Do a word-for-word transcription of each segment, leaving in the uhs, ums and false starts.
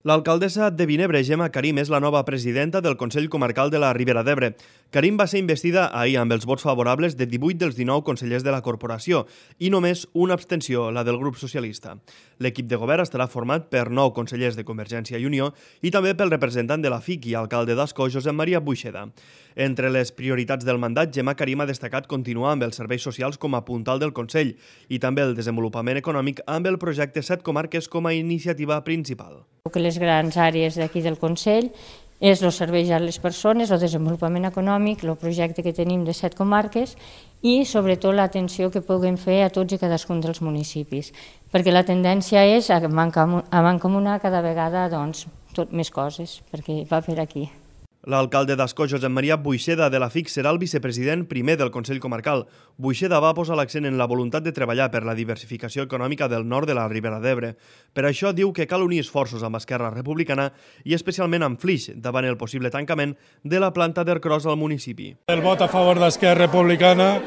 L'alcaldessa de Vinebre, Gemma Karim, és la nova presidenta del Consell Comarcal de la Ribera d'Ebre. Karim va ser investida ahir amb els vots favorables de divuit dels dinou consellers de la corporació i només una abstenció, la del grup socialista. L'equip de govern estarà format per nou consellers de Convergència i Unió i també pel representant de la F I C i alcalde d'Ascó, Josep Maria Buixeda. Entre les prioritats del mandat, Gemma Karim ha destacat continuar amb els serveis socials com a puntal del Consell i també el desenvolupament econòmic amb el projecte Set Comarques com a iniciativa principal. Que les grans àrees d'aquí del Consell és els serveis a les persones, el desenvolupament econòmic, el projecte que tenim de set comarques i sobretot l'atenció que puguem fer a tots i cadascun dels municipis, perquè la tendència és a mancomunar cada vegada doncs, tot més coses, perquè va per aquí. L'alcalde d'Ascó, Josep Maria Buixeda, de la F I C, serà el vicepresident primer del Consell Comarcal. Buixeda va posar l'accent en la voluntat de treballar per la diversificació econòmica del nord de la Ribera d'Ebre. Per això diu que cal unir esforços amb Esquerra Republicana i especialment amb Flix, davant el possible tancament de la planta d'Ercros al municipi. El vot a favor d'Esquerra Republicana,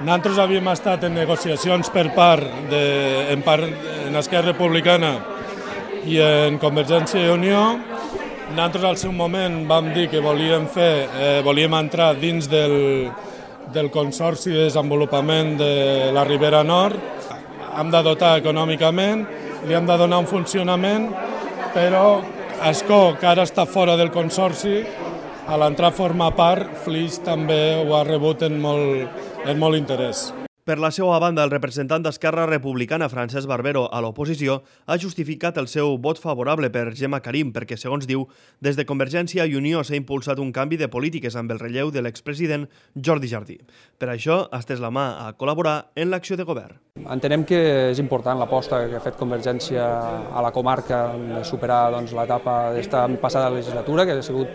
nosaltres havíem estat en negociacions per part de, en, part, en Esquerra Republicana i en Convergència i Unió. Nosaltres al seu moment vam dir que volíem fer, eh, volíem entrar dins del, del Consorci de Desenvolupament de la Ribera Nord. Hem de dotar econòmicament, li hem de donar un funcionament, però Ascó, que ara està fora del Consorci, a l'entrar a formar part, Flix també ho ha rebut en molt, en molt interès. Per la seva banda, el representant d'Esquerra Republicana, Francesc Barbero, a l'oposició, ha justificat el seu vot favorable per Gemma Karim perquè, segons diu, des de Convergència i Unió s'ha impulsat un canvi de polítiques amb el relleu de l'expresident Jordi Jardí. Per això ha estès la mà a col·laborar en l'acció de govern. Entenem que és important l'aposta que ha fet Convergència a la comarca de superar doncs, l'etapa d'esta passada legislatura, que ha sigut,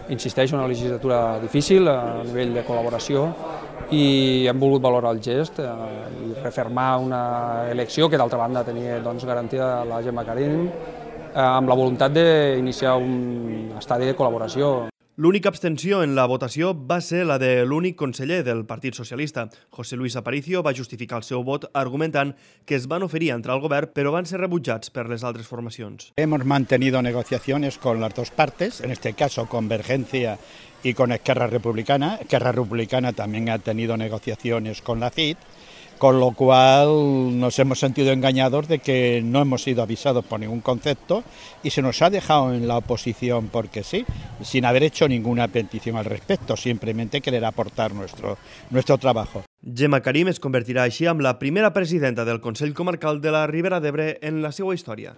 insisteixo, una legislatura difícil a nivell de col·laboració, i hem volgut valorar el gest eh, i refermar una elecció que d'altra banda tenia doncs, garantida la Gemma Karim eh, amb la voluntat d'iniciar un estadi de col·laboració. L'única abstenció en la votació va ser la de l'únic conseller del Partit Socialista. José Luis Aparicio va justificar el seu vot argumentant que es van oferir a entrar al govern però van ser rebutjats per les altres formacions. Hemos mantenido negociaciones con las dos partes, en este caso Convergencia y con Esquerra Republicana. Esquerra Republicana también ha tenido negociaciones con la F I C, con lo cual nos hemos sentido engañados de que no hemos sido avisados por ningún concepto y se nos ha dejado en la oposición porque sí, sin haber hecho ninguna petición al respecto, simplemente querer aportar nuestro, nuestro trabajo. Gemma Karim es convertirà així en la primera presidenta del Consell Comarcal de la Ribera d'Ebre en la seva història.